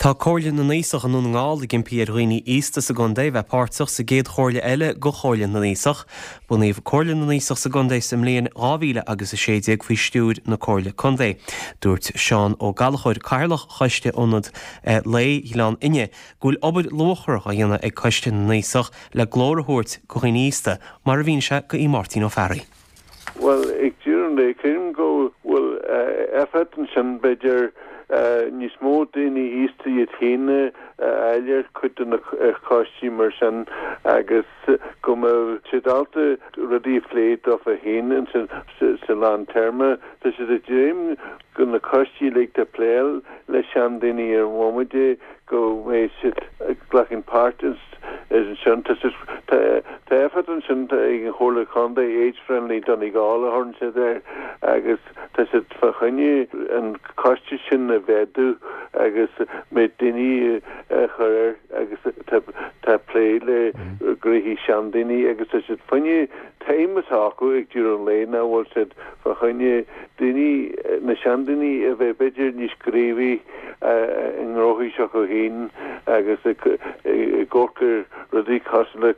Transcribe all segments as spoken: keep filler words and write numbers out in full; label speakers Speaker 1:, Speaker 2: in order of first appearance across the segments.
Speaker 1: Tá Comhairle na nAosach i nDún na nGall ag impí ar dhaoine aosta sa gcontae bheith páirteach sa gcéad chomhairle eile de Chomhairle na nAosach. Bunaíodh Comhairle na nAosach sa gcontae sa mbliain dhá mhíle agus a sé déag faoi stiúir na Comhairle Contae. Dúirt Seán Ó Gallchóir, Cathaoirleach Choiste Ionad Lae Ghleann Fhinne, go bhfuil obair luachmhar á dhéanamh ag Coiste na nAosach le glór a thabhairt do dhaoine aosta, mar a mhínigh sé do Mháirtín Ó Fearraigh.
Speaker 2: Bhuel, ag deireadh an lae, creidim go bhfuil éifeacht ansin, b'fhéidir, níos mó daoine aosta iad féin a fháil ar chuid de na coistí mar sin agus go mbeadh siad ábalta rudaí a phlé dófa féin sa lántéarma. Tá siad ag dréim go na coistí uilig ag plé le seandaoine ar an bhomaite go mbeidh siad ag glacann páirt ansin. Tá éifeacht ansin ag an Chomhairle Contae, Age Friendly Donegal a thugann siad air agus tá siad fá choinne an coiste sin a mhéadú agus méid daoine a chur air agus tá plé le gnóthaí seandaoine agus tá siad fá choinne aidhm atá acu ag deireadh an lae ná bhfuil siad fá choinne daoine na seandaoine a bheith b'fhéidir níos gníomhaí i ngnóthaí s'acu féin agus ag amharc ar rudaí cosúil le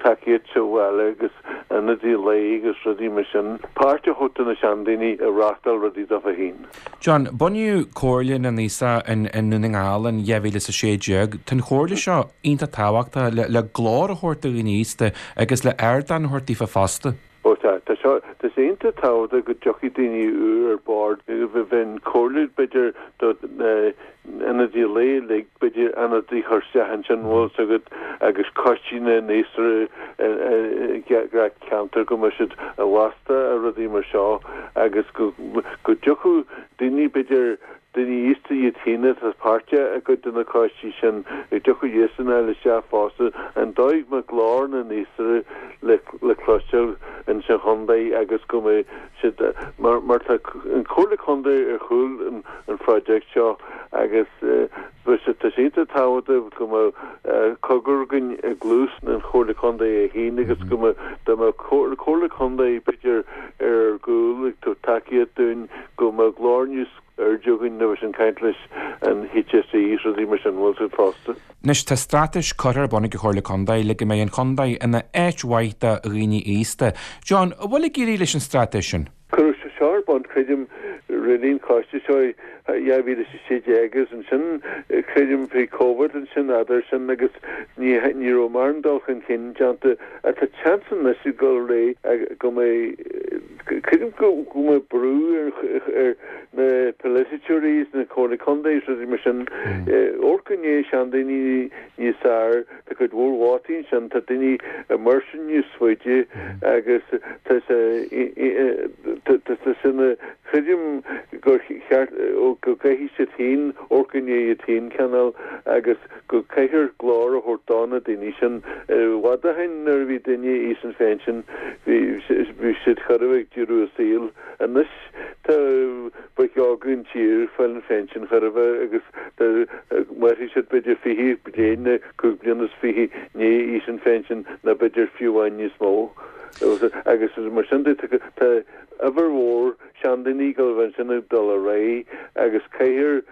Speaker 2: tacaíocht sa bhaile agus ionadaí lae agus rudaí mar sin, páirt a thabhairt do na seandaoine a reáchtáil rudaí dófa féin.
Speaker 3: John, bunaíodh Comhairle na nAosach i nDún na nGall in dhá mhíle is a sé déag. Tá an chomhairle seo iontach tábhachtach le glór a thabhairt do dhaoine aosta agus le ardán a thabhairt daofa fosta.
Speaker 2: Ó tá, tá seo, tá sé iontach tábhachtach go dtiocfaidh daoine úr ar bord. Bheadh an chomhairle b'fhéidir do na ionadaí lae uilig, b'fhéidir ionadaí a chur isteach ansin, bhfuil fhios agat, agus coistí na n-aosach i gach ceantar go mbeadh siad i bhfostú ar rudaí mar seo agus go go dtiocfadh daoine b'fhéidir daoine aosta iad féin atá páirteach i gcuid de na coistí sin, go dtiocfadh iadsan a fháil isteach fosta, an dóigh go mbeadh glór na n-aosach le le cloisteáil ins an chontae agus go mbeidh siad, mar mar tá an Chomhairle Contae ar chúl an an phroijeact seo agus bheadh sé, tá sé iontach tábhachtach go mbeadh cogar againn i gcluas an Chomhairle Contae é féin agus go mbeadh, dá mbeadh Comhairle Contae b'fhéidir ar ár gcúl ag tabhairt tacaíocht dúinn go mbeadh glór níos airde againn nuair a bheas an caint leis an H S E is rudaí mar sin, bhfuil siad fosta.
Speaker 3: Anois tá straitéis curtha ar bun ag an Chomhairle Contae le go mbeidh an chontae ina áit mhaith do dhaoine aosta. John, an bhfuil ag éirí leis an straitéis sin?
Speaker 2: Cuireadh seo ar bun, creidim, roimh an choiste seo i dhá mhíle is a sé déag agus ansin, creidim, bhí Covid ansin eadar sin agus ní ní raibh mórán dul chun cinn déanta. Ach tá seans anois ag dul ar aghaidh go mbeidh, creidim go go mbeidh brú ar ar na polaiteoirí is na Comhairle Contae is rudaí mar sin amharc i ndiaidh seandaoine níos fearr. Tá cuid mhór vótaí ansin, tá daoine ag mairstean níos faide agus tá sé tá sé sin creidim gur cheart go gcaithfidh siad féin amharc i ndiaidh iad féin cineál agus go gcaithfear glór a thabhairt do na daoine sin. I bhfad ó shin nuair a bhí duine aois an phensin bhí bhí siad chóir a bheith ag deireadh a saoil. Anois tá boic óga an tír ag fáil an phensin chóir a bheith agus tá mairfidh siad b'fhéidir fiche bliain nó cúig bliana is fiche i ndiaidh aois an phensin nó b'fhéidir fiú amháin níos mó. Agus mar sin de tá uimhir mhór seandaoine ag dul a bheith ansin ag dul ar aghaidh agus caithfear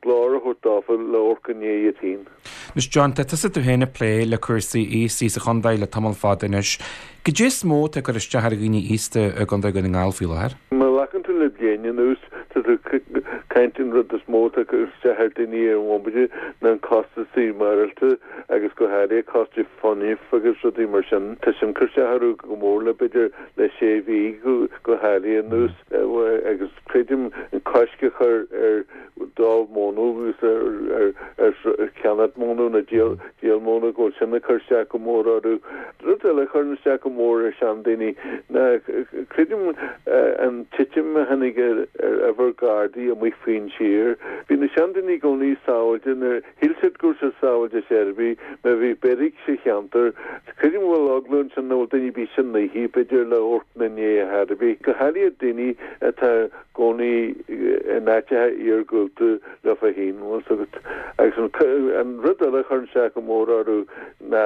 Speaker 2: glór a thabhairt dófa le amharc i ndiaidh iad féin.
Speaker 3: Anois John, tá tusa tú féin ag plé le cúrsaí aosaigh sa chontae le tamall fada anois. Cad é is mó atá ag cur isteach ar dhaoine aosta i gContae Dhún na nGall faoi láthair?
Speaker 2: Má ghlacann tú le bliain anuas, tá tú ag caint an rud is mó atá ag cur isteach ar daoine ar an bhomaite ná an costas maireachtála agus go háirithe costas fuinnimh agus rudaí mar sin. Tá sin ag cur isteach orthu go mór le b'fhéidir le sé mhí go háirithe anuas agus creidim an cosc a chur ar dó móna agus ar cheannach móna nó díol móna go bhfuil sin ag cur isteach go mór orthu. Rud eile a chuireann isteach go mór ar seandaoine ná creidim an titim a tháinig ar uimhir Gardaí amuigh faoin tír. Bhí na seandaoine i gcónaí sábháilte nuair shíl siad go raibh siad sábháilte ar bith má bhí beairic sa cheantar. Creidim go bhfuil eagla ansin nach bhfuil duine ar bith san oíche b'fhéidir le amharc ina ndiaidh ar chor ar bith. Go háirithe daoine atá gcónaí in áiteacha iargúlta leofa féin, bhfuil 's agat. Agus an rud eile a chuireann isteach go mór orthu ná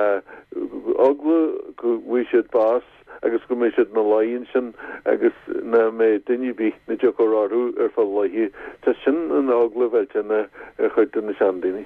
Speaker 2: eagla go bhfaighidh siad bás agus go mbeidh siad ina luí ansin agus nach mbeidh duine ar bith na dtiocfar orthu ar feadh laetha. Tá sin an eagla mhillteanach ar chuid de na seandaoine.